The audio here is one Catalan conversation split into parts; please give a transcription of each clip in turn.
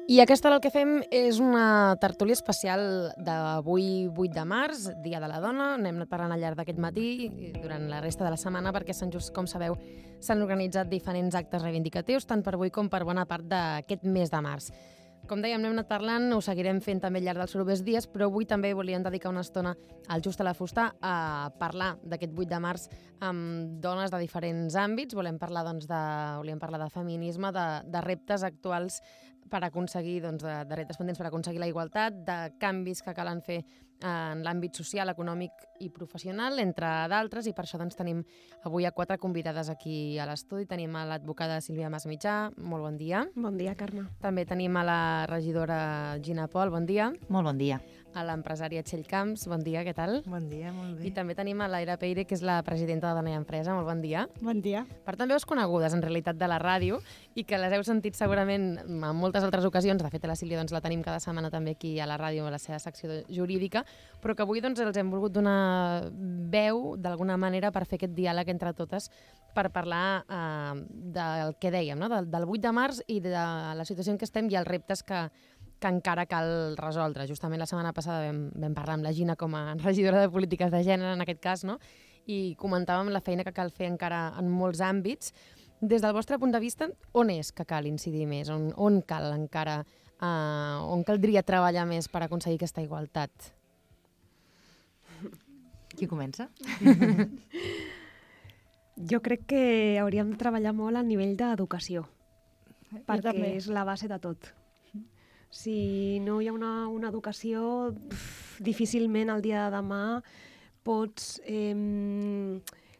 I aquesta el que fem és una tertúlia especial d'avui 8 de març, Dia de la Dona. N'hem anat parlant al llarg d'aquest matí i durant la resta de la setmana perquè Sant Just, com sabeu, s'han organitzat diferents actes reivindicatius, tant per avui com per bona part d'aquest mes de març. Com dèiem, n'hem anat parlant, ho seguirem fent també al llarg dels propers dies, però avui també volíem dedicar una estona al Just a la Fusta a parlar d'aquest 8 de març amb dones de diferents àmbits. Volem parlar de feminisme, de reptes actuals per aconseguir, de reptes pendents per aconseguir la igualtat, de canvis que calen fer en l'àmbit social, econòmic i professional, entre d'altres, i per això tenim avui a 4 convidades aquí a l'estudi. Tenim a l'advocada Sílvia Masmitjà, molt bon dia. Bon dia, Carme. També tenim a la regidora Gina Pol, bon dia. Molt bon dia. A l'empresària Txell Camps, bon dia, què tal? Bon dia, molt bé. I també tenim a l'Aira Peire, que és la presidenta de Dona i Empresa, molt bon dia. Bon dia. Per tant, veus conegudes, en realitat, de la ràdio i que les heu sentit segurament en moltes altres ocasions. De fet, a la Sílvia la tenim cada setmana també aquí a la ràdio, a la seva secció jurídica, però que avui els hem volgut donar veu, d'alguna manera, per fer aquest diàleg entre totes, per parlar del que dèiem, no? del 8 de març i de la situació en què estem i els reptes que encara cal resoldre. Justament la setmana passada vam parlar amb la Gina com a regidora de Polítiques de Gènere, en aquest cas, no? I comentàvem la feina que cal fer encara en molts àmbits. Des del vostre punt de vista, on és que cal incidir més? On cal encara, on caldria treballar més per aconseguir aquesta igualtat? Qui comença? Jo crec que hauríem de treballar molt a nivell d'educació, perquè és la base de tot. Si no hi ha una educació, difícilment el dia de demà pots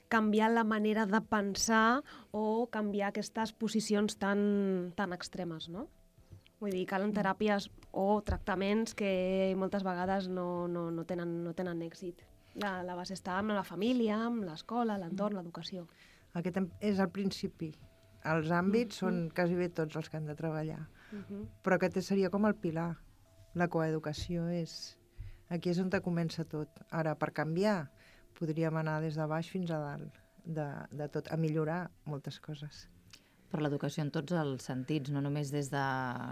canviar la manera de pensar o canviar aquestes posicions tan extremes, no? Vull dir, calen teràpies o tractaments que moltes vegades no tenen èxit. La base està amb la família, amb l'escola, l'entorn, l'educació. Aquest és el principi. Els àmbits són quasi bé tots els que han de treballar. Però aquest seria com el pilar. La coeducació és... Aquí és on comença tot. Ara, per canviar, podríem anar des de baix fins a dalt, de tot, a millorar moltes coses. Per l'educació en tots els sentits, no només des de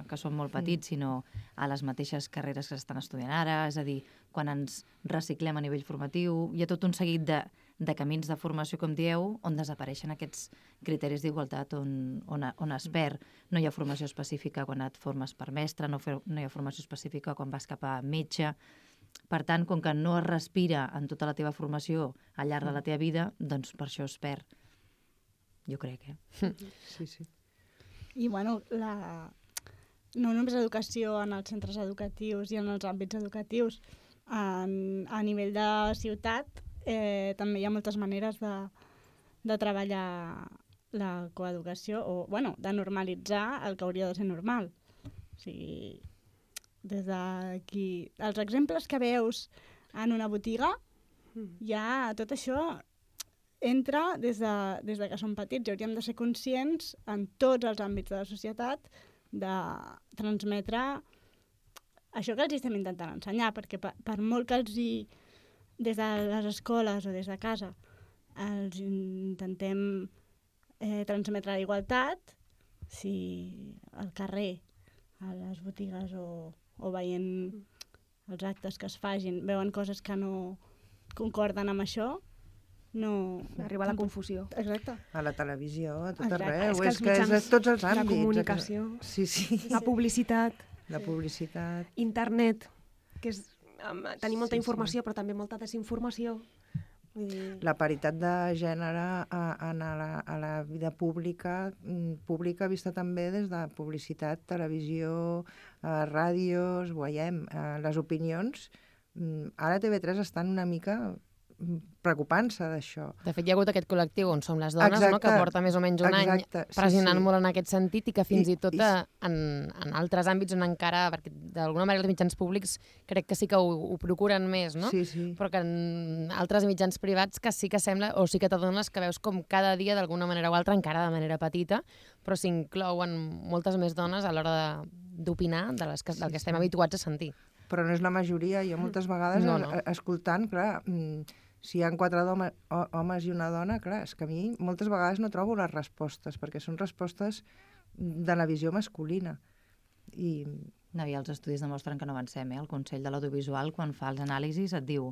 que som molt petits, sinó a les mateixes carreres que s'estan estudiant ara, és a dir, quan ens reciclem a nivell formatiu, hi ha tot un seguit de camins de formació, com dieu, on desapareixen aquests criteris d'igualtat, on es perd. No hi ha formació específica quan et formes per mestre, no hi ha formació específica quan vas cap a metge. Per tant, com que no es respira en tota la teva formació al llarg de la teva vida, doncs per això es perd. Jo crec, Sí, sí. I, bueno, no només educació en els centres educatius i en els àmbits educatius, a nivell de ciutat també hi ha moltes maneres de treballar la coeducació o, bueno, de normalitzar el que hauria de ser normal. O sigui, des d'aquí... Els exemples que veus en una botiga, ja tot això entra des de que som petits i hauríem de ser conscients en tots els àmbits de la societat de transmetre això que els estem intentant ensenyar, perquè per molt que des de les escoles o des de casa els intentem transmetre la igualtat, si al carrer, a les botigues o veient els actes que es facin, veuen coses que no concorden amb això, no... Arriba a la confusió. Exacte. A la televisió, a tot Exacte. arreu. És que És a tots els àmbits. la comunicació, Sí, sí. la publicitat, La publicitat. internet, que és tenir molta Sí, informació però també molta desinformació. La paritat de gènere a la vida pública vista també des de publicitat, televisió, ràdios, ho veiem, les opinions. Ara TV3 estan una mica preocupant-se d'això. De fet, hi ha hagut aquest col·lectiu on som les dones, Exacte, no? Que porta més o menys un any pressionant molt en aquest sentit i que fins i tot en altres àmbits on encara, perquè d'alguna manera els mitjans públics crec que sí que ho procuren més, no? Sí, sí. Però que en altres mitjans privats que sí que sembla, o sí que t'adones que veus com cada dia d'alguna manera o altra, encara de manera petita, però s'inclouen moltes més dones a l'hora d'opinar del que estem habituats a sentir. Però no és la majoria. Jo moltes vegades, escoltant, clar, si hi ha 4 homes i una dona, clar, és que a mi moltes vegades no trobo les respostes, perquè són respostes de la visió masculina. I No, i els estudis demostren que no avancem, El Consell de l'Audiovisual, quan fa els anàlisis, et diu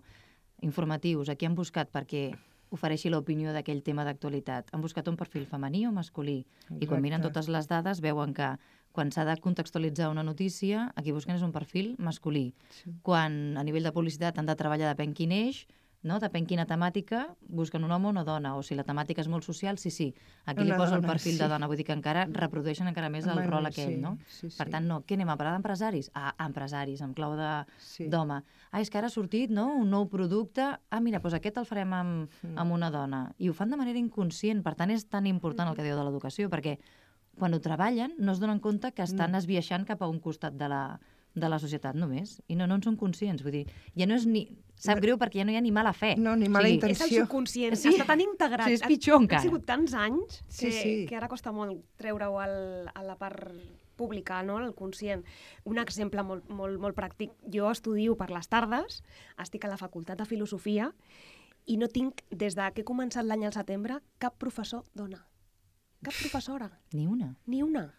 informatius, aquí han buscat perquè ofereixi l'opinió d'aquell tema d'actualitat. Han buscat un perfil femení o masculí. I quan miren totes les dades veuen que quan s'ha de contextualitzar una notícia, aquí busquen és un perfil masculí. Sí. Quan a nivell de publicitat han de treballar depèn quin eix, no? Depèn quina temàtica, busquen un home o una dona, o si la temàtica és molt social, sí. Aquí li Una posa el dona, perfil sí. de dona, vull dir que encara reprodueixen encara més el Bueno, rol aquell, sí, no? sí, Per sí. tant, no, què anem a parlar d'empresaris? Empresaris, amb clau Sí. d'home. És que ara ha sortit, no?, un nou producte. Mira, doncs aquest el farem amb una dona. I ho fan de manera inconscient, per tant és tan important el que diu de l'educació, perquè quan ho treballen no es donen compte que estan esbiaixant cap a un costat de la societat només, i no en són conscients, vull dir, ja no és ni... Sap greu perquè ja no hi ha ni mala fe. No, ni mala És el intenció. subconscient, Sí. està tan integrat. Sí, és pitjor encara. Han sigut tants anys Sí. que ara costa molt treure-ho a la part pública, no? El conscient. Un exemple molt pràctic. Jo estudio per les tardes, estic a la Facultat de Filosofia i no tinc, des que he començat l'any al setembre, cap professor dona. Cap professora. Ni una. Ni una.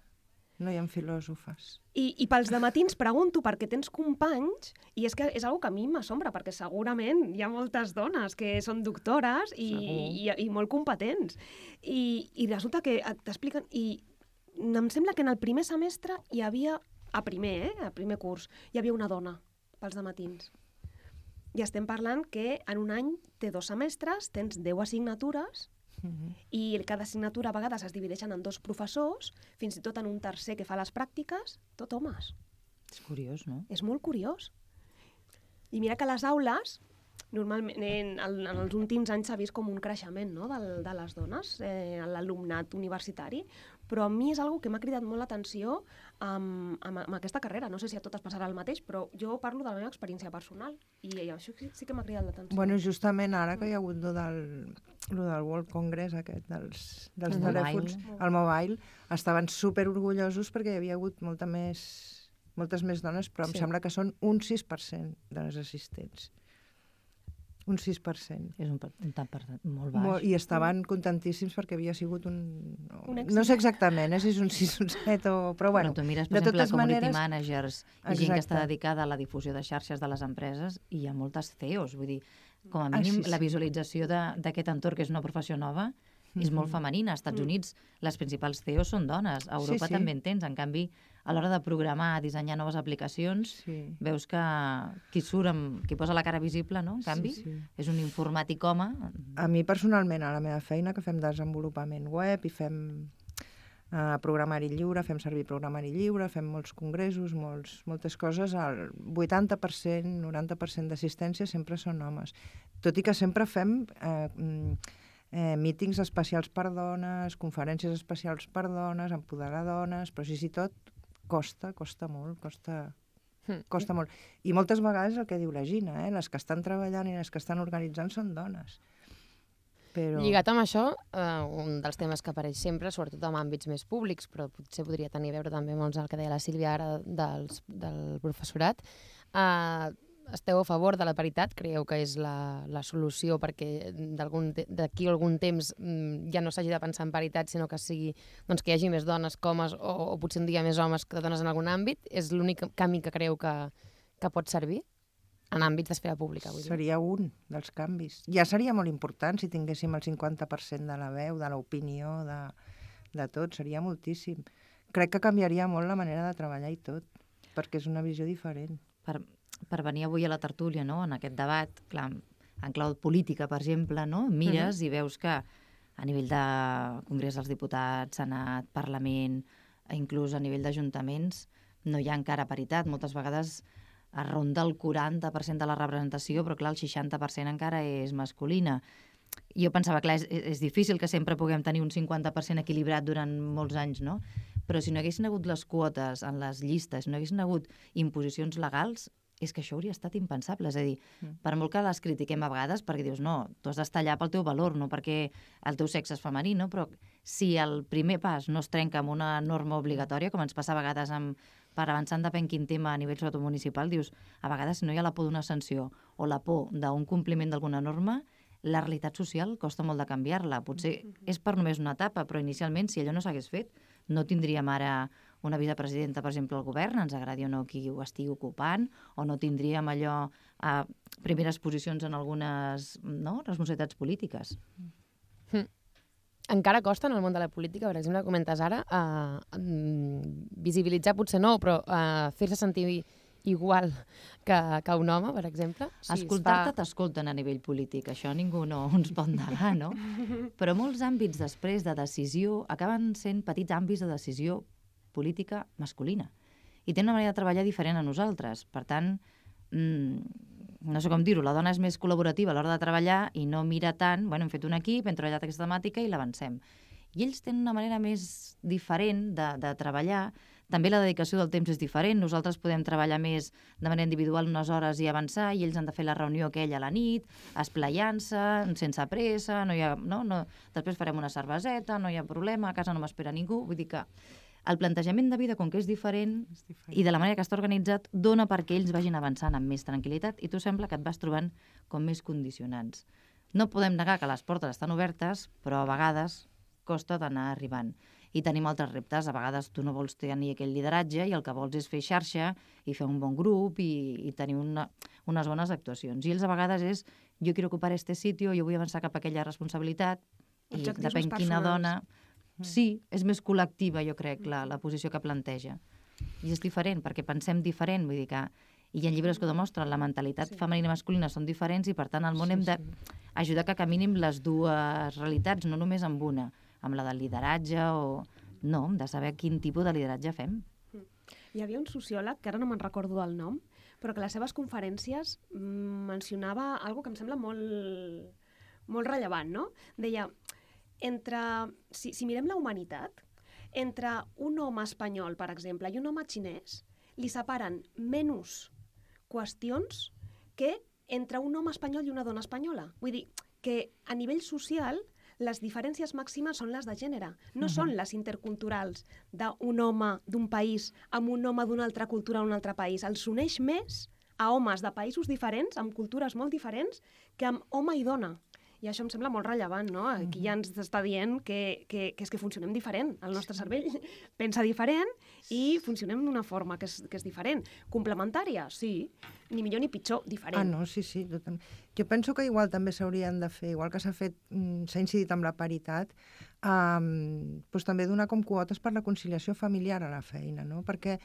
No hi ha filòsofes. I pels dematins pregunto perquè tens companys i és que és una que a mi m'assombra perquè segurament hi ha moltes dones que són doctores i molt competents i resulta que t'expliquen i em sembla que en el primer semestre hi havia, a primer curs, hi havia una dona pels dematins. I estem parlant que en un any té 2 semestres, tens 10 assignatures i cada assignatura a vegades es divideixen en 2 professors, fins i tot en un tercer que fa les pràctiques, tot homes. És curiós, no? És molt curiós. I mira que a les aules, normalment, en els últims anys s'ha vist com un creixement, no?, de les dones, l'alumnat universitari, però a mi és una que m'ha cridat molt l'atenció amb aquesta carrera. No sé si a totes passarà el mateix, però jo parlo de la meva experiència personal i això sí que m'ha cridat l'atenció. Bueno, justament ara que hi ha hagut lo del World Congress aquest, dels telèfons, el mobile, estaven super orgullosos perquè hi havia hagut moltes més dones, però em sembla que són un 6% de les assistents. Un 6%. És un tant per cent molt baix. I estaven contentíssims perquè havia sigut un èxit. no sé exactament si és un 6 o un 7, però bueno. Però tu mires, per exemple, community managers i gent que està Exacte. dedicada a la difusió de xarxes de les empreses i hi ha moltes CEOs, vull dir, com a mínim sí. la visualització d'aquest entorn, que és una professió nova, és molt femenina. Als Estats Units les principals CEOs són dones, a Europa Sí. també en tens. En canvi, a l'hora de programar, dissenyar noves aplicacions, veus que qui posa la cara visible, no? En canvi, és un informàtic home. A mi personalment, a la meva feina, que fem desenvolupament web i fem programari lliure, fem servir programari lliure, fem molts congressos, moltes coses, el 80%, 90% d'assistència sempre són homes. Tot i que sempre fem mítings especials per dones, conferències especials per dones, empoderar dones, però sí, tot costa molt, costa molt. I moltes vegades el que diu la Gina, les que estan treballant i les que estan organitzant són dones. Però... Lligat amb això, un dels temes que apareix sempre, sobretot en àmbits més públics, però potser podria tenir a veure també amb el que deia la Sílvia ara del professorat, esteu a favor de la paritat? Creieu que és la solució perquè d'aquí a algun temps ja no s'hagi de pensar en paritat, sinó que sigui que hi hagi més dones que homes o potser un dia més homes que dones en algun àmbit? És l'únic camí que creieu que pot servir en àmbits d'esfera pública? Seria un dels canvis. Ja seria molt important si tinguéssim el 50% de la veu, de l'opinió, de tot. Seria moltíssim. Crec que canviaria molt la manera de treballar i tot, perquè és una visió diferent. Per venir avui a la tertúlia, no?, en aquest debat, clar, en clau política, per exemple, no?, mires i veus que a nivell de Congrés dels Diputats, Senat, Parlament, inclús a nivell d'ajuntaments, no hi ha encara paritat. Moltes vegades es ronda el 40% de la representació, però clar, el 60% encara és masculina. Jo pensava, clar, és difícil que sempre puguem tenir un 50% equilibrat durant molts anys, no? Però si no haguessin hagut les quotes en les llistes, si no haguessin hagut imposicions legals, és que això hauria estat impensable. És a dir, per molt que les critiquem a vegades, perquè dius, no, tu has d'estar allà pel teu valor, no perquè el teu sexe és femení, no? Però si el primer pas no es trenca amb una norma obligatòria, com ens passa a vegades per avançar en depèn quin tema a nivell sobretot municipal, dius, a vegades si no hi ha la por d'una sanció o la por d'un compliment d'alguna norma, la realitat social costa molt de canviar-la. Potser és per només una etapa, però inicialment, si allò no s'hagués fet, no tindríem ara una vicepresidenta, per exemple, al govern, ens agradi o no qui ho estigui ocupant, o no tindríem allò a primeres posicions en algunes responsabilitats polítiques. Encara costa en el món de la política, per exemple, comentes ara, visibilitzar potser no, però fer-se sentir igual que un home, per exemple. Escoltar-te t'escolten a nivell polític, això ningú no ens pot negar, no? Però molts àmbits després de decisió acaben sent petits àmbits de decisió política masculina. I tenen una manera de treballar diferent a nosaltres. Per tant, no sé com dir-ho, la dona és més col·laborativa a l'hora de treballar i no mira tant, hem fet un equip, hem treballat aquesta temàtica i l'avancem. I ells tenen una manera més diferent de treballar. També la dedicació del temps és diferent. Nosaltres podem treballar més de manera individual unes hores i avançar, i ells han de fer la reunió aquella a la nit, esplayant-se, sense pressa, després farem una cerveseta, no hi ha problema, a casa no m'espera ningú. Vull dir que el plantejament de vida, com que és diferent, i de la manera que està organitzat, dona perquè ells vagin avançant amb més tranquil·litat, i tu sembla que et vas trobant com més condicionants. No podem negar que les portes estan obertes, però a vegades costa d'anar arribant. I tenim altres reptes. A vegades tu no vols tenir aquell lideratge i el que vols és fer xarxa i fer un bon grup i tenir unes bones actuacions. I ells a vegades és, jo quiero ocupar este sitio, jo vull avançar cap a aquella responsabilitat, i depèn quina dona... Sí, és més col·lectiva, jo crec, la posició que planteja. I és diferent, perquè pensem diferent, vull dir que... I hi ha llibres que ho demostren, la mentalitat femenina i masculina són diferents i, per tant, al món hem d'ajudar que caminin les dues realitats, no només amb una, amb la del lideratge o... No, hem de saber quin tipus de lideratge fem. Hi havia un sociòleg, que ara no me'n recordo del nom, però que a les seves conferències mencionava algo que em sembla molt rellevant, no? Deia... Si mirem la humanitat, entre un home espanyol, per exemple, i un home xinès, li separen menys qüestions que entre un home espanyol i una dona espanyola. Vull dir que a nivell social les diferències màximes són les de gènere, no són les interculturals d'un home d'un país amb un home d'una altra cultura d'un altre país. Els uneix més a homes de països diferents, amb cultures molt diferents, que amb home i dona. I això em sembla molt rellevant, no? Aquí ja ens està dient que és que funcionem diferent. El nostre cervell pensa diferent i funcionem d'una forma que és diferent. Complementària, sí. Ni millor ni pitjor, diferent. No, sí. Jo penso que igual també s'haurien de fer, igual que s'ha incidit amb la paritat, doncs també donar com quotes per la conciliació familiar a la feina, no? Perquè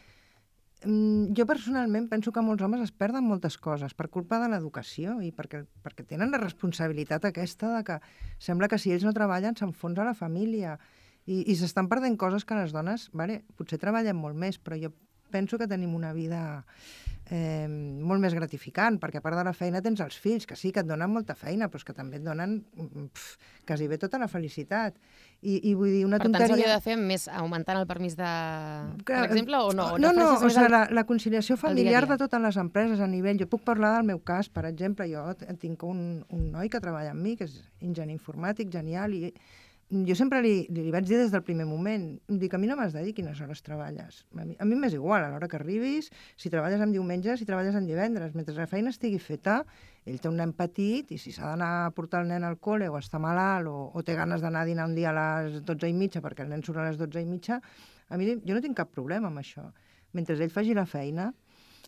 jo personalment penso que molts homes es perden moltes coses per culpa de l'educació i perquè tenen la responsabilitat aquesta de que sembla que si ells no treballen s'enfonsa la família i s'estan perdent coses que les dones, potser treballem molt més, però jo penso que tenim una vida molt més gratificant, perquè a part de la feina tens els fills, que sí, que et donen molta feina, però que també et donen quasi bé tota la felicitat. I vull dir, una tonteria... Per tant, s'hauria de fer més augmentant el permís per exemple, o no? La conciliació familiar de totes les empreses a nivell... Jo puc parlar del meu cas, per exemple, jo tinc un noi que treballa amb mi, que és enginyer informàtic, genial, i jo sempre li vaig dir des del primer moment, dic, a mi no m'has de dir quines hores treballes. A mi m'és igual, a l'hora que arribis, si treballes en diumenge, si treballes en divendres. Mentre la feina estigui feta, ell té un nen petit i si s'ha d'anar a portar el nen al col·le o està malalt o té ganes d'anar a dinar un dia a les 12:30 perquè el nen surt a les 12:30, jo no tinc cap problema amb això. Mentre ell faci la feina,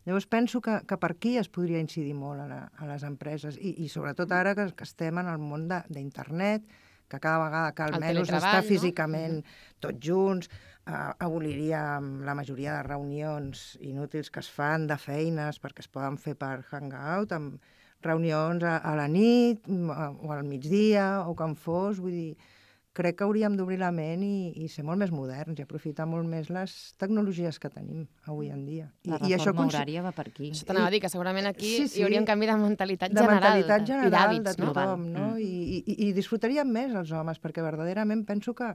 llavors penso que per aquí es podria incidir molt a les empreses i sobretot ara que estem en el món d'internet, que cada vegada cal menys estar físicament tots junts, aboliríem la majoria de reunions inútils que es fan de feines perquè es poden fer per hangout, amb reunions a la nit o al migdia o quan fos, vull dir, crec que hauríem d'obrir la ment i ser molt més moderns i aprofitar molt més les tecnologies que tenim avui en dia. La reforma horària va per aquí. Això t'anava a dir, que segurament aquí hi hauria un canvi de mentalitat general. De mentalitat general i de tothom, no? I disfrutaríem més els homes, perquè verdaderament penso que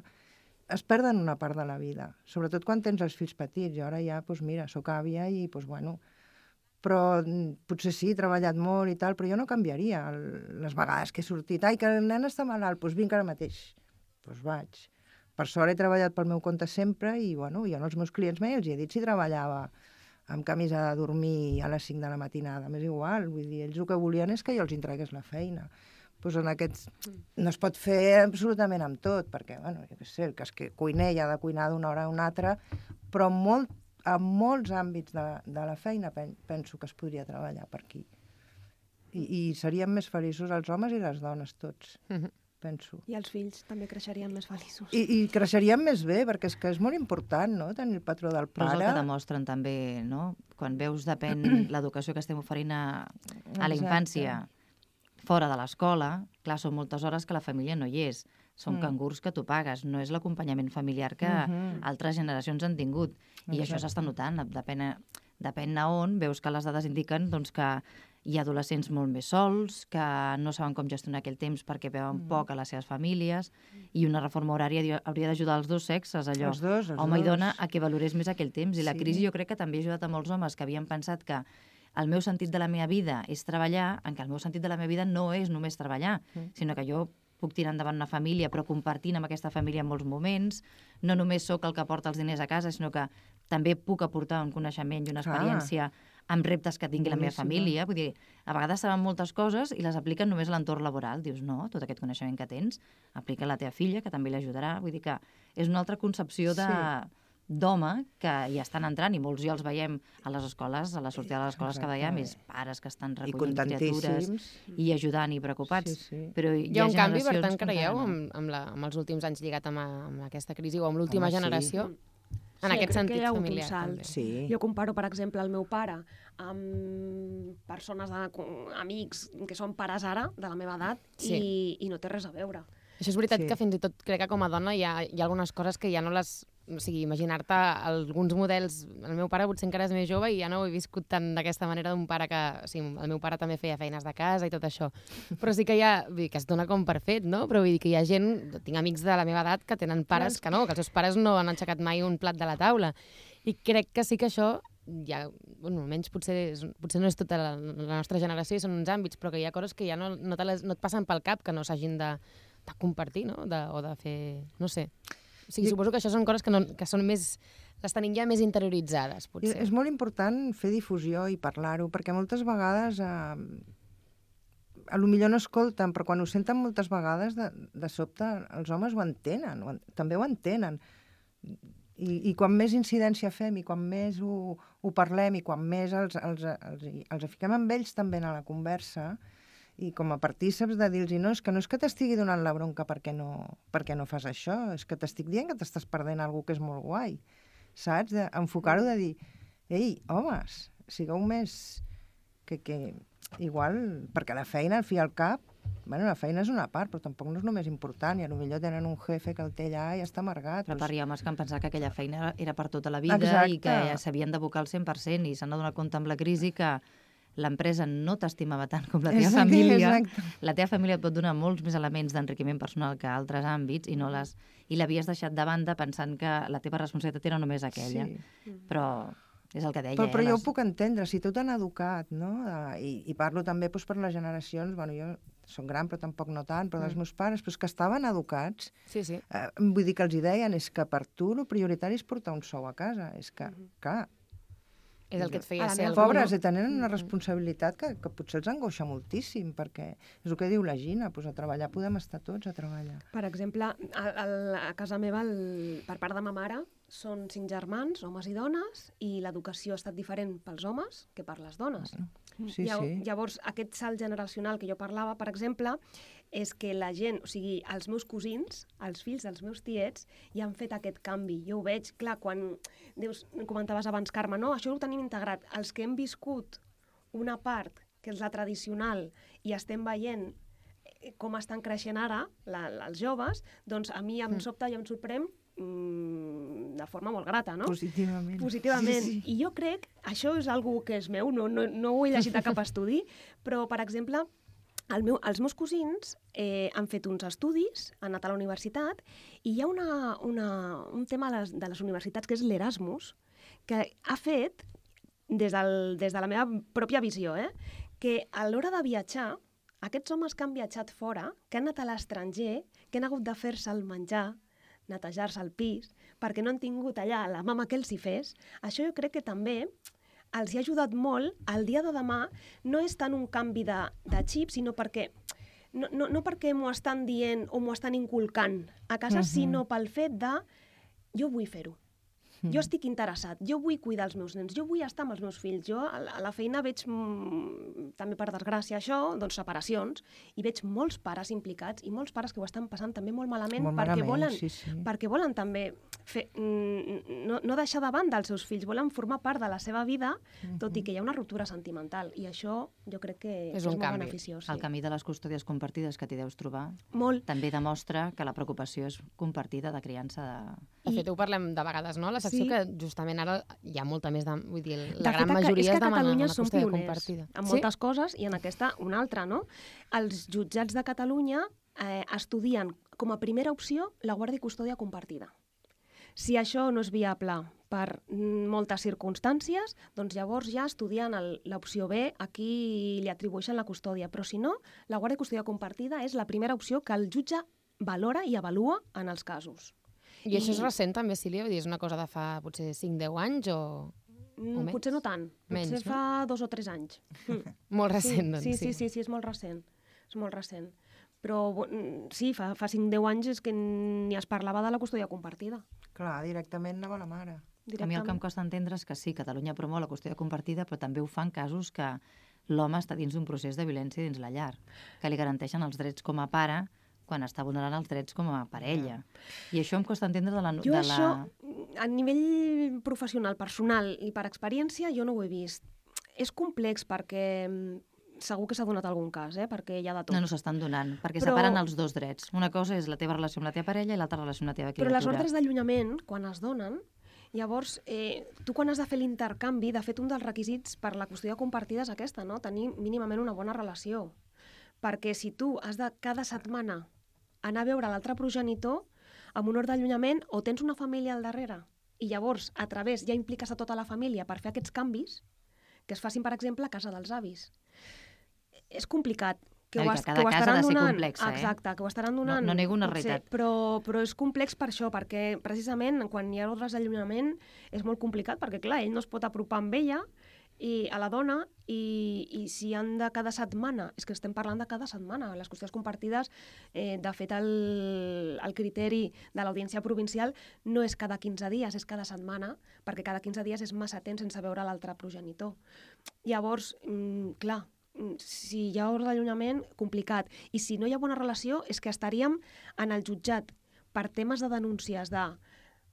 es perden una part de la vida, sobretot quan tens els fills petits. Jo ara ja, doncs mira, soc àvia i, doncs bueno, però potser sí, he treballat molt i tal, però jo no canviaria les vegades que he sortit. Ai, que el nen està malalt, doncs vinc ara mateix. Doncs vaig. Per sort he treballat pel meu compte sempre i, bueno, jo als meus clients mai els he dit si treballava amb camisa de dormir a les 5 de la matinada. M'és igual, vull dir, ells el que volien és que jo els entregués la feina. Doncs en aquests... No es pot fer absolutament amb tot, perquè, bueno, jo què sé, el que és que cuiner i ha de cuinar d'una hora a una altra, però en molts àmbits de la feina penso que es podria treballar per aquí. I serien més feliços els homes i les dones tots, penso. I els fills també creixerien més feliços. I creixerien més bé, perquè és que és molt important, no?, tenir el patró del pare. Però és el que demostren també, no? Quan veus depèn l'educació que estem oferint a la infància fora de l'escola, clar, són moltes hores que la família no hi és. Són cangurs que tu pagues, no és l'acompanyament familiar que altres generacions han tingut. I això s'està notant, depèn a on, veus que les dades indiquen doncs, que hi ha adolescents molt més sols, que no saben com gestionar aquell temps perquè veuen poc a les seves famílies, i una reforma horària hauria d'ajudar els dos sexes, allò, home i dona, a que valorés més aquell temps. I la crisi jo crec que també ha ajudat a molts homes que havien pensat que el meu sentit de la meva vida és treballar, en què el meu sentit de la meva vida no és només treballar, sinó que jo puc tirar endavant una família, però compartint amb aquesta família en molts moments. No només sóc el que porta els diners a casa, sinó que també puc aportar un coneixement i una experiència amb reptes que tingui la meva família. Vull dir, a vegades saben moltes coses i les apliquen només a l'entorn laboral. Dius, no, tot aquest coneixement que tens, aplica a la teva filla, que també l'ajudarà. Vull dir que és una altra concepció d'home que hi estan entrant, i molts ja els veiem a les escoles, a la sortida de les escoles que veiem, és pares que estan recollint criatures i ajudant i preocupats. Però hi ha un canvi, per tant, creieu, amb els últims anys lligat amb aquesta crisi o amb l'última generació? En aquest sentit familiar, també. Sí. Jo comparo, per exemple, el meu pare amb persones, amics que són pares ara, de la meva edat, i no té res a veure. Això és veritat que fins i tot crec que com a dona hi ha algunes coses que ja no les... O sigui, imaginar-te alguns models... El meu pare potser encara és més jove i ja no ho he viscut tant d'aquesta manera d'un pare que... O sigui, el meu pare també feia feines de casa i tot això. Però sí que hi ha... Vull dir, que es dona com per fet, no? Però vull dir que hi ha gent... Tinc amics de la meva edat que tenen pares que no, que els seus pares no han aixecat mai un plat de la taula. I crec que sí que això... Ja, bueno, almenys potser no és tota la nostra generació i són uns àmbits, però que hi ha coses que ja no et passen pel cap que no s'hagin de compartir, no? O de fer... No sé. O sigui, suposo que això són coses que són més... Les tenim ja més interioritzades, potser. És molt important fer difusió i parlar-ho, perquè moltes vegades... Potser no escolten, però quan ho senten moltes vegades, de sobte, els homes ho entenen, també ho entenen. I quan més incidència fem, i quan més ho parlem, i quan més els fiquem amb ells també a la conversa, i com a partíceps de dir-los, no és que t'estigui donant la bronca perquè no fas això, és que t'estic dient que t'estàs perdent alguna que és molt guai, saps? Enfocar-ho de dir, ei, homes, sigueu més... que igual, perquè la feina, al fi i al cap, bueno, la feina és una part, però tampoc no és només important, i potser tenen un jefe que el té allà i està amargat. Però per homes que han pensat que aquella feina era per tota la vida i que s'havien d'abocar al 100%, i s'han adonat compte amb la crisi que l'empresa no t'estimava tant com la teva família. La teva família et pot donar molts més elements d'enriquiment personal que altres àmbits i l'havies deixat de banda pensant que la teva responsabilitat era només aquella. Però és el que deia. Però jo ho puc entendre, si tu t'han educat, no? I parlo també per les generacions, bueno, jo soc gran però tampoc no tant, però dels meus pares, però que estaven educats. Vull dir que els deien, és que per tu el prioritari és portar un sou a casa. És que, clar, és el que et feia ser algú, pobres, i tenen una responsabilitat que potser els angoixa moltíssim, perquè és el que diu la Gina, doncs a treballar podem estar tots a treballar. Per exemple, a casa meva, per part de ma mare, són 5 germans, homes i dones, i l'educació ha estat diferent pels homes que per les dones. Llavors, aquest salt generacional que jo parlava, per exemple, és que la gent, o sigui, els meus cosins, els fills dels meus tiets, ja han fet aquest canvi. Jo ho veig, clar, quan comentaves abans, Carme, no, això ho tenim integrat. Els que hem viscut una part, que és la tradicional, i estem veient com estan creixent ara els joves, doncs a mi em sobta i em sorprèn de forma molt grata, no? Positivament. Sí. I jo crec, això és algo que és meu, no ho he llegit a cap estudi, però, per exemple, els meus cosins han fet uns estudis, han anat a la universitat, i hi ha un tema de les universitats que és l'Erasmus, que ha fet, des de la meva pròpia visió, que a l'hora de viatjar, aquests homes que han viatjat fora, que han anat a l'estranger, que han hagut de fer-se el menjar, netejar-se el pis, perquè no han tingut allà la mama que els hi fes, això jo crec que també els hi ha ajudat molt. El dia de demà no és tant un canvi de xip, sinó perquè no perquè m'ho estan dient o m'ho estan inculcant a casa, sinó pel fet de jo vull fer-ho. Jo estic interessat, jo vull cuidar els meus nens, jo vull estar amb els meus fills. Jo a la feina veig, també per desgràcia això, doncs separacions, i veig molts pares implicats i molts pares que ho estan passant també molt malament, perquè volen també no deixar de banda els seus fills, volen formar part de la seva vida, tot i que hi ha una ruptura sentimental. I això jo crec que és molt beneficiós. El camí de les custòdies compartides que t'hi deus trobar també demostra que la preocupació és compartida de criança de... De fet, ho parlem de vegades, no? La secció que justament ara hi ha molta més... Vull dir, la gran majoria es demana una custòdia compartida. En moltes coses, i en aquesta una altra, no? Els jutjats de Catalunya estudien com a primera opció la guàrdia i custòdia compartida. Si això no és viable per moltes circumstàncies, doncs llavors ja estudien l'opció B, a qui li atribueixen la custòdia. Però si no, la guàrdia i custòdia compartida és la primera opció que el jutge valora i avalua en els casos. I això és recent també, Sílvia? Vull dir, és una cosa de fa potser 5-10 anys o menys? Potser no tant. Potser fa 2 o 3 anys. Molt recent, doncs. Sí, és molt recent. És molt recent. Però sí, fa 5-10 anys és que ni es parlava de la custòdia compartida. Clar, directament anava la mare. A mi el que em costa entendre és que sí, Catalunya promou la custòdia compartida, però també ho fa en casos que l'home està dins d'un procés de violència dins la llar, que li garanteixen els drets com a pare quan està vulnerant els drets com a parella. I això em costa entendre això, a nivell professional, personal i per experiència, jo no ho he vist. És complex perquè segur que s'ha donat algun cas, perquè hi ha de tot. No s'estan donant, perquè separen els dos drets. Una cosa és la teva relació amb la teva parella i l'altra relació amb la teva criatura. Però les ordres d'allunyament, quan es donen, llavors, tu quan has de fer l'intercanvi, de fet, un dels requisits per la custòdia compartida és aquesta, no? Tenir mínimament una bona relació. Perquè si tu has de cada setmana anar a veure l'altre progenitor, amb un ordre d'allunyament, o tens una família al darrere, i llavors, a través, ja impliques a tota la família per fer aquests canvis, que es facin, per exemple, a casa dels avis. És complicat. Que cada cas ha de ser complex, Exacte, que ho estaran donant. No nego una realitat. Però és complex per això, perquè precisament quan hi ha ordres d'allunyament és molt complicat, perquè clar, ell no es pot apropar amb ella, i a la dona, i si han de cada setmana, és que estem parlant de cada setmana, les custòdies compartides, de fet el criteri de l'audiència provincial no és cada 15 dies, és cada setmana, perquè cada 15 dies és massa temps sense veure l'altre progenitor. Llavors, clar, si hi ha ordre d'allunyament, complicat. I si no hi ha bona relació, és que estaríem en el jutjat per temes de denúncies de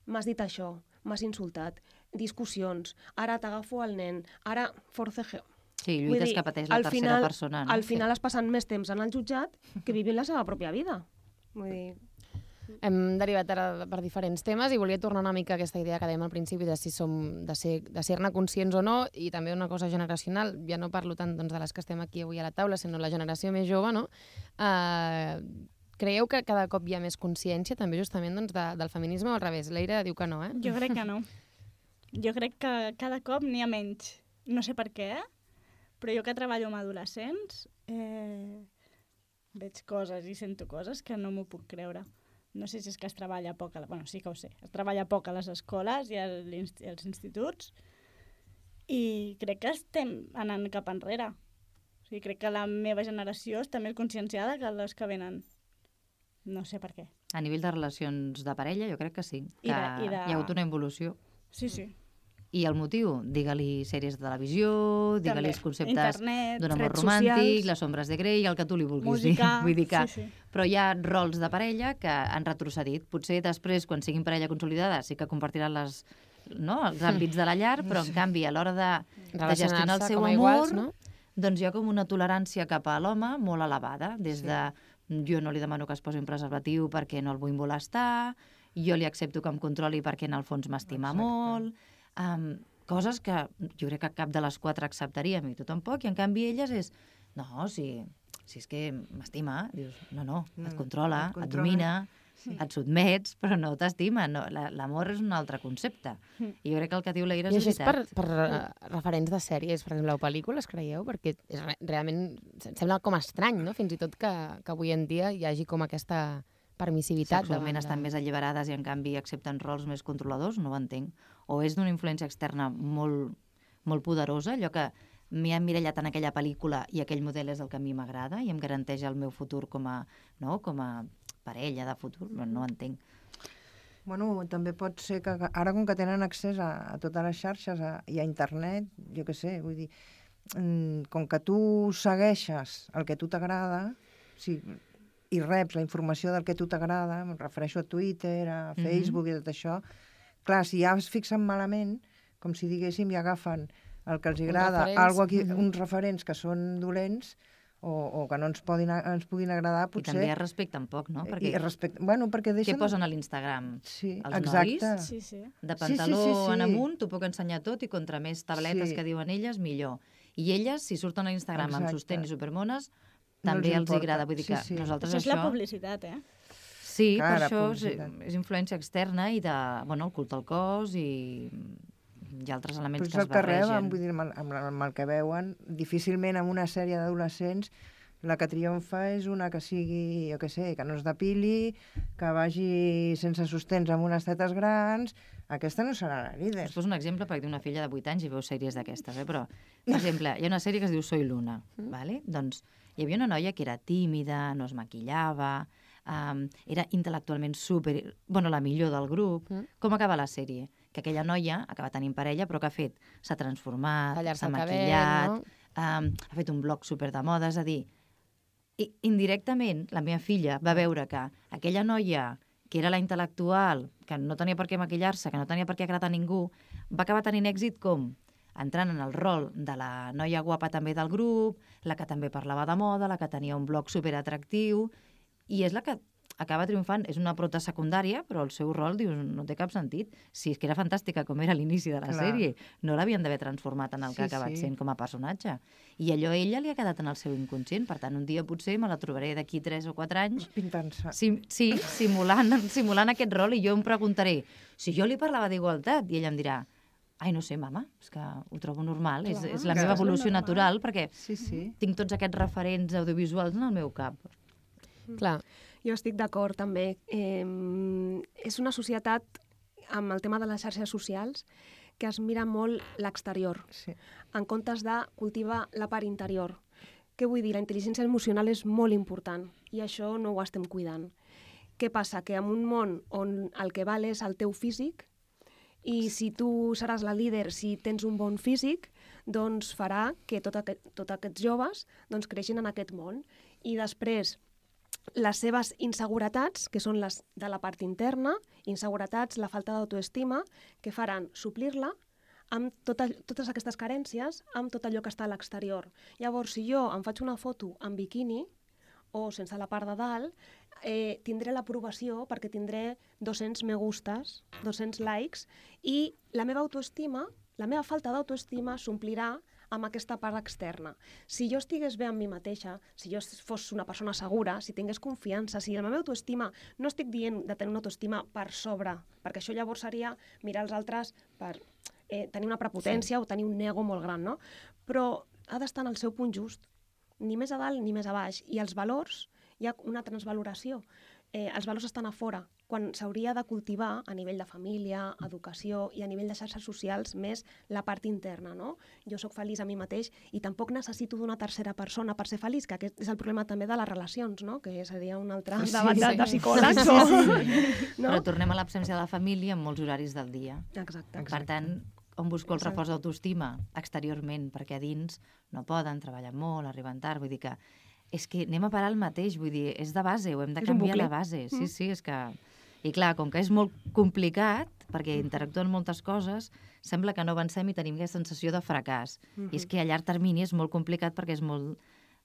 m'has dit això, m'has insultat, discussions, ara t'agafo el nen, ara forcejeo. Sí, lluites que pateix la tercera persona. Al final es passen més temps en el jutjat que vivint la seva pròpia vida. Vull dir... Hem derivat ara per diferents temes i volia tornar una mica a aquesta idea que dèiem al principi de si som de ser-ne conscients o no, i també una cosa generacional. Ja no parlo tant de les que estem aquí avui a la taula, sinó la generació més jove, no? Creieu que cada cop hi ha més consciència també justament del feminisme o al revés? L'Eira diu que no, eh? Jo crec que no. Jo crec que cada cop n'hi ha menys. No sé per què, però jo que treballo amb adolescents veig coses i sento coses que no m'ho puc creure. No sé si és que es treballa poc, bueno, sí que ho sé, es treballa poc a les escoles i als instituts i crec que estem anant cap enrere. O sigui, crec que la meva generació està més conscienciada que les que venen. No sé per què. A nivell de relacions de parella, jo crec que sí, que hi ha hagut una evolució. Sí, sí. I el motiu? Digue-li sèries de televisió, digue-li els conceptes d'un amor romàntic, socials, les ombres de Grey, el que tu li vulguis música, dir. Vull dir que... sí. Però hi ha rols de parella que han retrocedit. Potser després, quan siguin parella consolidada, sí que compartiran els àmbits de la llar, però en canvi, a l'hora de gestionar el seu amor, iguals, no? doncs hi ha com una tolerància cap a l'home molt elevada, des de jo no li demano que es posi un preservatiu perquè no el vull molestar, jo li accepto que em controli perquè en el fons m'estima molt... coses que jo crec que cap de les 4 acceptaríem i tu tampoc, i en canvi elles és si és que m'estima, dius, no, et controla, et domina, et sotmets, però no t'estima, l'amor és un altre concepte. I jo crec que el que diu l'Eira és veritat. I això és per referents de sèries, per exemple, o pel·lícules, creieu? Perquè realment sembla com estrany, no? Fins i tot que avui en dia hi hagi com aquesta permissivitat. Sexualment estan més alliberades i en canvi accepten rols més controladors, no ho entenc. O és d'una influència externa molt, molt poderosa, allò que m'hi ha emmirallat en aquella pel·lícula i aquell model és el que a mi m'agrada i em garanteix el meu futur com a parella de futur, no ho entenc. Bueno, també pot ser que ara, com que tenen accés a totes les xarxes i a internet, jo què sé, vull dir, com que tu segueixes el que a tu t'agrada, i reps la informació del que a tu t'agrada, em refereixo a Twitter, a Facebook i tot això, clar, si ja es fixen malament, com si diguéssim, i agafen el que els agrada, uns referents que són dolents, o que no ens puguin agradar, potser... I també es respecten poc, no? Perquè què posen a l'Instagram? Sí, els exacte. Nois, de pantaló en amunt, t'ho puc ensenyar tot, i contra més tabletes que diuen elles, millor. I elles, si surten a l'Instagram amb sostén i supermones, també els agrada. Vull dir que nosaltres això... és la publicitat, eh? Sí, per això és influència externa i el culte al cos i altres elements que es barregen. Però és el que reben, vull dir, amb el que veuen, difícilment en una sèrie d'adolescents la que triomfa és una que sigui, jo què sé, que no es depili, que vagi sense sostens amb unes tetes grans. Aquesta no serà la líder. Us poso un exemple perquè tinc una filla de 8 anys i veu sèries d'aquestes, però, per exemple, hi ha una sèrie que es diu Soy Luna, ¿vale? Doncs hi havia una noia que era tímida, no es maquillava, era intel·lectualment la millor del grup. Com acaba la sèrie? Que aquella noia acaba tenint parella, però què ha fet? S'ha transformat, s'ha maquillat, ha fet un blog super de moda, és a dir, indirectament la meva filla va veure que aquella noia que era la intel·lectual, que no tenia per què maquillar-se, que no tenia per què agradar a ningú, va acabar tenint èxit com? Entrant en el rol de la noia guapa també del grup, la que també parlava de moda, la que tenia un blog superatractiu, i és la que acaba triomfant. És una prota secundària, però el seu rol, dius, no té cap sentit. Si és que era fantàstica com era a l'inici de la sèrie, no l'havien d'haver transformat en el que ha acabat sent com a personatge. I allò a ella li ha quedat en el seu inconscient. Per tant, un dia potser me la trobaré d'aquí 3 o 4 anys pintant-se. Sí, simulant aquest rol, i jo em preguntaré si jo li parlava d'igualtat, i ella em dirà: ai, no sé, mama, és que ho trobo normal, és la meva evolució natural, perquè tinc tots aquests referents audiovisuals en el meu cap. Clar. Jo estic d'acord, també. És una societat, amb el tema de les xarxes socials, que es mira molt l'exterior, en comptes de cultivar la part interior. Què vull dir? La intel·ligència emocional és molt important, i això no ho estem cuidant. Què passa? Que en un món on el que val és el teu físic, i si tu seràs la líder, si tens un bon físic, doncs farà que tots aquests joves creixin en aquest món. I després, les seves inseguretats, que són les de la part interna, inseguretats, la falta d'autoestima, que faran suplir-la amb totes aquestes carències, amb tot allò que està a l'exterior. Llavors, si jo em faig una foto en biquini, o sense la part de dalt, tindré l'aprovació perquè tindré 200 me gustes, 200 likes, i la meva autoestima, la meva falta d'autoestima s'omplirà amb aquesta part externa. Si jo estigués bé amb mi mateixa, si jo fos una persona segura, si tingués confiança, si la meva autoestima, no estic dient de tenir una autoestima per sobre, perquè això llavors seria mirar els altres per tenir una prepotència o tenir un ego molt gran, no? Però ha d'estar en el seu punt just, ni més a dalt ni més a baix. I els valors, hi ha una transvaloració. Els valors estan a fora, quan s'hauria de cultivar a nivell de família, educació i a nivell de xarxes socials més la part interna, no? Jo sóc feliç a mi mateix i tampoc necessito d'una tercera persona per ser feliç, que aquest és el problema també de les relacions, no? Que seria un altre debat de psicòlegs. Però tornem a l'absència de la família en molts horaris del dia. Exacte. Per tant, on busco el reforç d'autoestima? Exteriorment, perquè a dins no poden, treballen molt, arriben tard, vull dir que és que anem a parar el mateix, vull dir, és de base, ho hem de canviar la base. Sí, és que... I clar, com que és molt complicat, perquè interactuen moltes coses, sembla que no avancem i tenim aquesta sensació de fracàs. I és que a llarg termini és molt complicat perquè és molt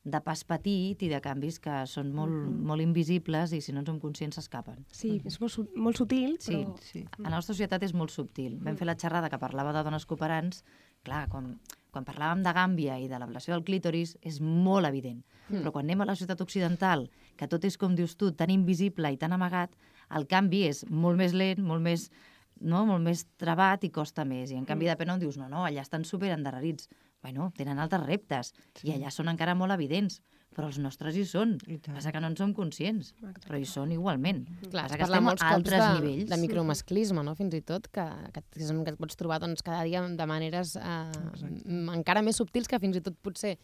de pas petit i de canvis que són molt invisibles i si no en som conscients s'escapen. Sí, és molt sutil, però... Sí, la nostra societat és molt subtil. Vam fer la xerrada que parlava de dones cooperants, clar, quan parlàvem de gàmbia i de l'ablació del clítoris és molt evident. Però quan anem a la societat occidental, que tot és, com dius tu, tan invisible i tan amagat, el canvi és molt més lent, molt més trabat i costa més. I en canvi, depèn on dius, no, allà estan superendarrerits. Bueno, tenen altres reptes i allà són encara molt evidents, però els nostres hi són. Passa que no en som conscients, però hi són igualment. Clar, passa que estem a altres nivells. De micromasclisme, no? Fins i tot, que et pots trobar cada dia de maneres encara més subtils que fins i tot potser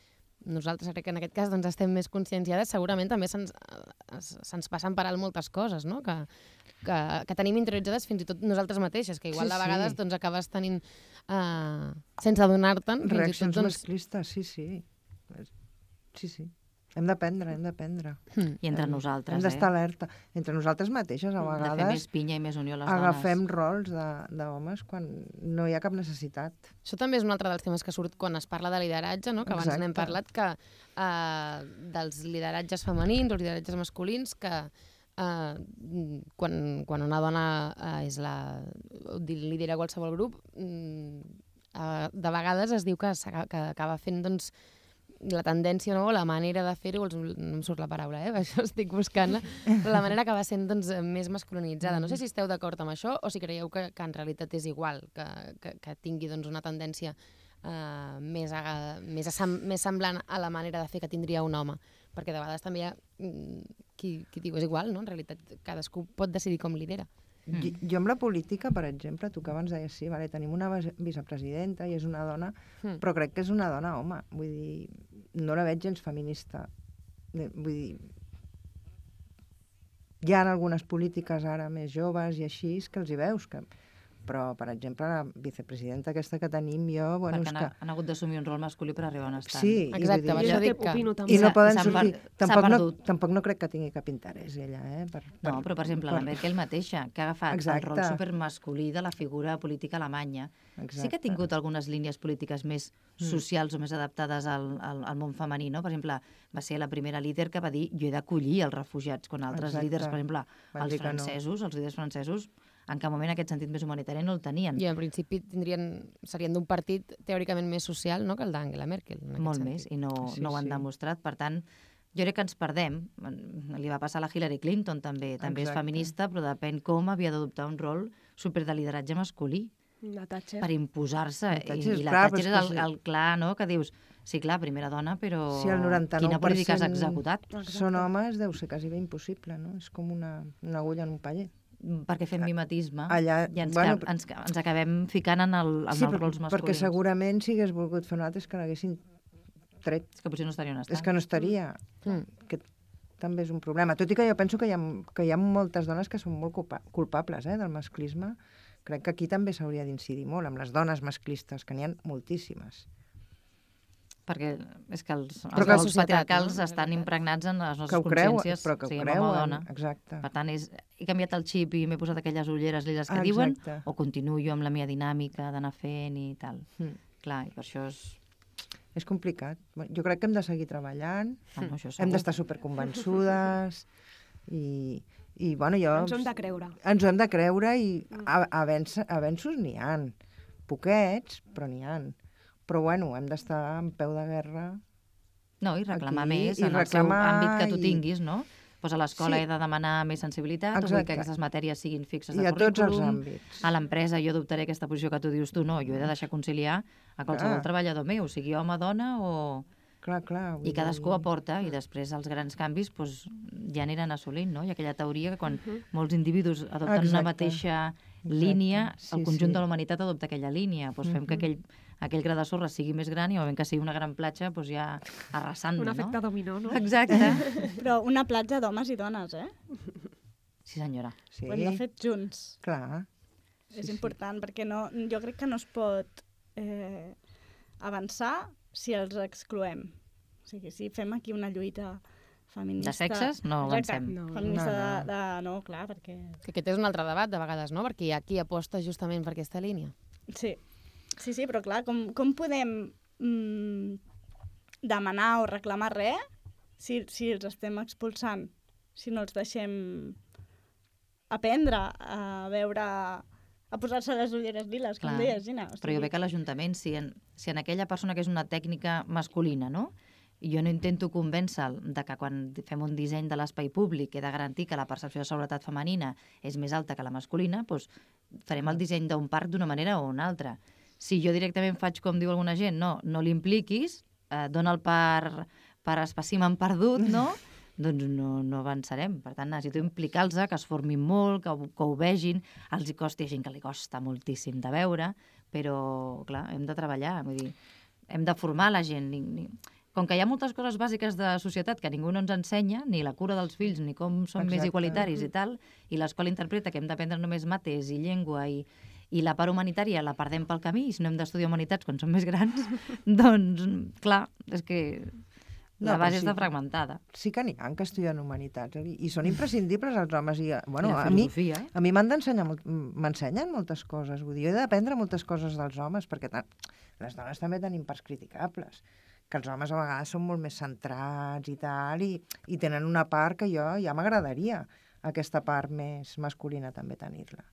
nosaltres crec que en aquest cas doncs, estem més conscienciades, segurament també se'ns passen per alt moltes coses, no? Que tenim interioritzades fins i tot nosaltres mateixes, que igual de vegades doncs, acabes tenint, sense adonar-te'n... Reaccions masclistes, sí. Sí. Hem d'aprendre. I entre nosaltres, Hem d'estar alerta. Entre nosaltres mateixes, a vegades... De fer més pinya i més unió a les dones. Agafem rols d'homes quan no hi ha cap necessitat. Això també és un altre dels temes que surt quan es parla de lideratge, no? Que abans n'hem parlat, que dels lideratges femenins o lideratges masculins, que quan una dona lidera qualsevol grup, de vegades es diu que acaba fent, doncs, la tendència, no? La manera de fer-ho, no em surt la paraula, això estic buscant-la, però la manera acaba sent doncs, més masculinitzada. No sé si esteu d'acord amb això o si creieu que en realitat és igual, que tingui doncs, una tendència més semblant a la manera de fer que tindria un home, perquè de vegades també hi ha qui diu és igual, no? En realitat cadascú pot decidir com lidera. Jo amb la política, per exemple, tu que abans deies, sí, vale, tenim una vicepresidenta i és una dona, però crec que és una dona home. Vull dir, no la veig gens feminista. Vull dir, hi ha algunes polítiques ara més joves i així que els hi veus, però, per exemple, la vicepresidenta aquesta que tenim jo... Bueno, perquè han hagut d'assumir un rol masculí per arribar on estan. Sí, exacte, per això dic que... I no poden sortir... Tampoc no crec que tingui cap interès, ella, No, però, per exemple, la Merkel mateixa, que ha agafat el rol supermasculí de la figura política alemanya, sí que ha tingut algunes línies polítiques més socials o més adaptades al món femení, no? Per exemple, va ser la primera líder que va dir jo he d'acollir els refugiats, quan altres líders, per exemple, els líders francesos, en cap moment aquest sentit més humanitari no el tenien. I en principi serien d'un partit teòricament més social, no?, que el d'Angela Merkel. Molt més, i no ho han demostrat. Per tant, jo crec que ens perdem. Li va passar a la Hillary Clinton també. També és feminista, però depèn com havia d'adoptar un rol super de lideratge masculí. La Thatcher. Per imposar-se. I la Thatcher és el clar, no?, que dius, sí, clar, primera dona, però quina política has executat? Són homes, deu ser quasi bé impossible, no? És com una agulla en un paller. Perquè fem mimetisme i ens acabem ficant en els rols masculins. Perquè segurament si hagués volgut fer un altre és que l'haguessin tret. És que potser no estaria on està. És que no estaria. Que també és un problema. Tot i que jo penso que hi ha moltes dones que són molt culpables del masclisme. Crec que aquí també s'hauria d'incidir molt, amb les dones masclistes, que n'hi ha moltíssimes. Perquè és que els rols patriarcals estan impregnats en les nostres consciències. Però que ho creuen, exacte. Per tant, he canviat el xip i m'he posat aquelles ulleres liles que diuen, o continuo jo amb la meva dinàmica d'anar fent i tal. Clar, i per això és... És complicat. Jo crec que hem de seguir treballant, hem d'estar superconvençudes i bueno, jo... Ens ho hem de creure. Ens ho hem de creure i avenços n'hi ha. Poquets, però n'hi ha. Però, bueno, hem d'estar en peu de guerra. No, i reclamar més en el seu àmbit que tu tinguis, no? Pues a l'escola he de demanar més sensibilitat, o vull que aquestes matèries siguin fixes de currículum. I a tots els àmbits. A l'empresa jo adoptaré aquesta posició que tu dius tu, no, jo he de deixar conciliar a qualsevol treballador meu, sigui home, dona o... Clar. I cadascú aporta, i després els grans canvis ja aniran assolint, no? Hi ha aquella teoria que quan molts individus adopten una mateixa línia, el conjunt de la humanitat adopta aquella línia. Doncs fem que aquell gra de sorra sigui més gran i o ben que sigui una gran platja, doncs ja arrasant, no? Un efecte dominó, no? Exacte. Però una platja d'homes i dones, Sí, senyora. Ho hem de fer junts. Clar. És important, perquè jo crec que no es pot avançar si els excloem. O sigui, si fem aquí una lluita feminista... De sexes no avancem. Feminista no, clar, perquè... Que aquest és un altre debat, de vegades, no? Perquè hi ha qui aposta justament per aquesta línia. Sí, però clar, com podem demanar o reclamar res si els estem expulsant? Si no els deixem aprendre a veure... a posar-se les ulleres liles, com deies, Gina. Però jo veig que l'Ajuntament, si en aquella persona que és una tècnica masculina, no? I jo no intento convèncer-lo que quan fem un disseny de l'espai públic he de garantir que la percepció de seguretat femenina és més alta que la masculina, doncs farem el disseny d'un parc d'una manera o una altra. Si jo directament faig com diu alguna gent, no l'impliquis, dona'l per espècimen perdut, no? Doncs no avançarem. Per tant, necessito implicar-los, que es formin molt, que ho vegin. Els hi costa, hi ha gent que li costa moltíssim de veure, però, clar, hem de treballar. Vull dir, hem de formar la gent. com que hi ha moltes coses bàsiques de societat que ningú no ens ensenya, ni la cura dels fills, ni com som més igualitaris i tal, i l'escola interpreta que hem d'aprendre només mates i llengua i la part humanitària la perdem pel camí, i si no hem d'estudiar humanitats quan som més grans, doncs, clar, és que la base està fragmentada. Sí que n'hi ha que estudien humanitats, i són imprescindibles els homes. I, bueno, la filosofia, a mi m'ensenyen moltes coses, vull dir, jo he d'aprendre moltes coses dels homes, perquè les dones també tenim parts criticables, que els homes a vegades són molt més centrats i tal, i tenen una part que jo ja m'agradaria, aquesta part més masculina també tenir-la.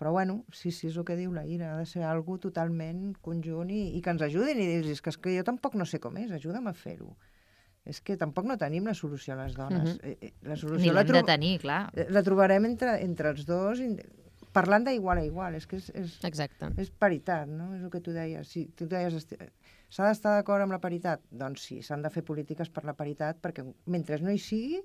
Però bueno, sí, és el que diu la Ira, ha de ser algo totalment conjunt i que ens ajudin i dir-los que és que jo tampoc no sé com és, ajuda'm a fer-ho. És que tampoc no tenim la solució a les dones. La solució ni l'hem de tenir, clar. La trobarem entre els dos, parlant d'igual a igual. És que és paritat, no? És el que tu deies. Si tu deies, s'ha d'estar d'acord amb la paritat? Doncs sí, s'han de fer polítiques per la paritat, perquè mentre no hi sigui,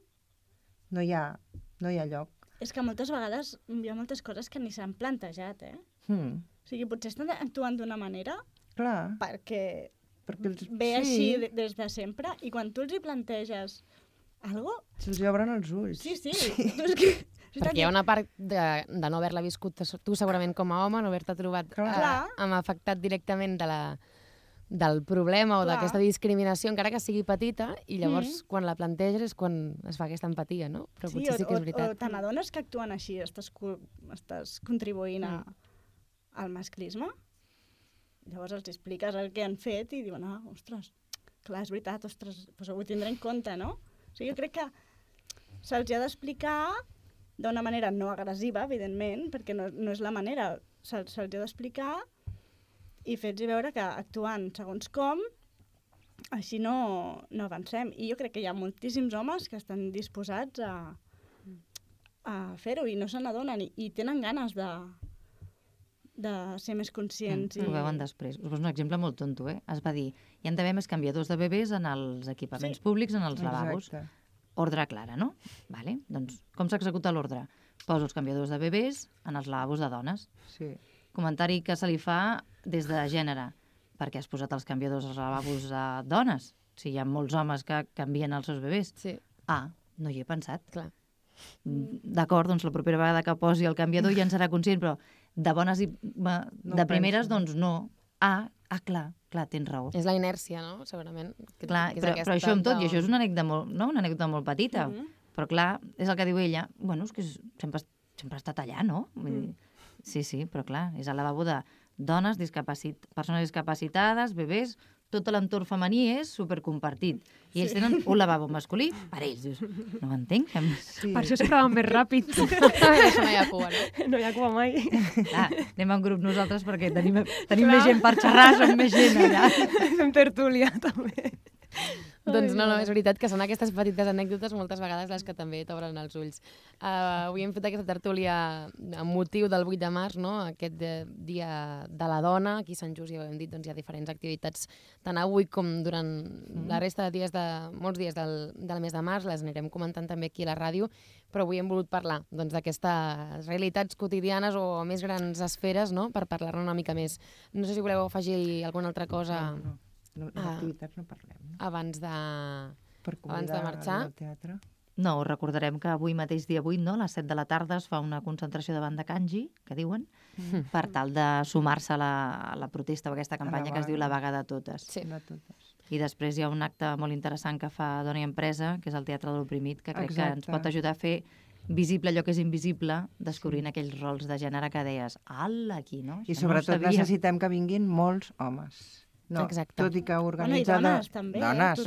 no hi ha lloc. És que moltes vegades hi ha moltes coses que ni s'han plantejat, O sigui, potser estan actuant d'una manera perquè ve així des de sempre, i quan tu els hi planteges alguna cosa... Se'ls obren els ulls. Sí. Perquè hi ha una part de no haver-la viscut tu segurament com a home, no haver-te trobat amb afectat directament del problema o d'aquesta discriminació, encara que sigui petita, i llavors quan la planteges és quan es fa aquesta empatia, no? Però potser sí que és veritat. O te n'adones que actuen així, estàs contribuint al masclisme? Llavors els expliques el que han fet i diuen, ostres, clar, és veritat, ostres, doncs ho tindré en compte, no? O sigui, jo crec que se'ls ha d'explicar d'una manera no agressiva, evidentment, perquè no és la manera. Se'ls ha d'explicar i fer-los veure que actuant segons com, així no avancem. I jo crec que hi ha moltíssims homes que estan disposats a fer-ho i no se n'adonen i tenen ganes de ser més conscients. Ho veuen després. Us poso un exemple molt tonto, Es va dir, hi ha d'haver més canviadors de bebès en els equipaments públics, en els lavabos. Ordre clara, no? Vale. Doncs com s'executa l'ordre? Poso els canviadors de bebès en els lavabos de dones. Sí. Comentari que se li fa des de gènere. Per què has posat els canviadors als lavabos de dones? Si hi ha molts homes que canvien els seus bebès. Sí. No hi he pensat. Clar. D'acord, doncs la propera vegada que posi el canviador ja en serà conscient, però de bones i de primeres, doncs no. Clar, tens raó. És la inèrcia, no? Segurament. Clar, però això amb tot, i això és una anècdota molt petita, però clar, és el que diu ella, bueno, és que sempre ha estat allà, no? Sí, però clar, és el lavabo de dones, persones discapacitades, bebès, tot l'entorn femení és supercompartit. I ells tenen un lavabo masculí per ells. Dius, no ho entenc. Per això sempre van més ràpid. Això no hi ha cua, no? No hi ha cua mai. Anem en grup nosaltres perquè tenim més gent per xerrar, som més gent allà. Fem tertúlia, també. Doncs no, és veritat que són aquestes petites anècdotes moltes vegades les que també t'obren els ulls. Avui hem fet aquesta tertúlia amb motiu del 8 de març, no? Aquest dia de la dona. Aquí a Sant Just, ja ho hem dit, doncs hi ha diferents activitats tant avui com durant la resta de dies, molts dies del mes de març. Les anirem comentant també aquí a la ràdio, però avui hem volgut parlar d'aquestes realitats quotidianes o més grans esferes, no? Per parlar-ne una mica més. No sé si voleu afegir alguna altra cosa. No, d'activitats no parlem. No? Abans de marxar. Al teatre. No, recordarem que avui mateix dia 8, no? A les 7 de la tarda es fa una concentració davant de Kanji, que diuen, per tal de sumar-se a la protesta o aquesta campanya que es diu La vaga de totes. Sí. De totes. I després hi ha un acte molt interessant que fa Dona i Empresa, que és el Teatre de l'Oprimit, que crec que ens pot ajudar a fer visible allò que és invisible, descobrint aquells rols de gènere que deies, aquí, no? I sobretot necessitem que vinguin molts homes. No, exacte. Tot i que organitza... I dones, també. Dones.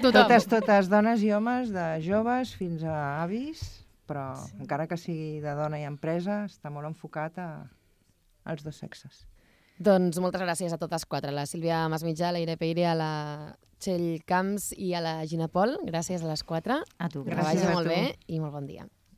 Tothom. Totes dones i homes, de joves fins a avis, però encara que sigui de dona i empresa, està molt enfocat als dos sexes. Doncs moltes gràcies a totes quatre, la Sílvia Masmitjà, la Ira Peire, a la Txell Camps i a la Gina Pol. Gràcies a les quatre. A tu, que vagi molt bé i molt bon dia.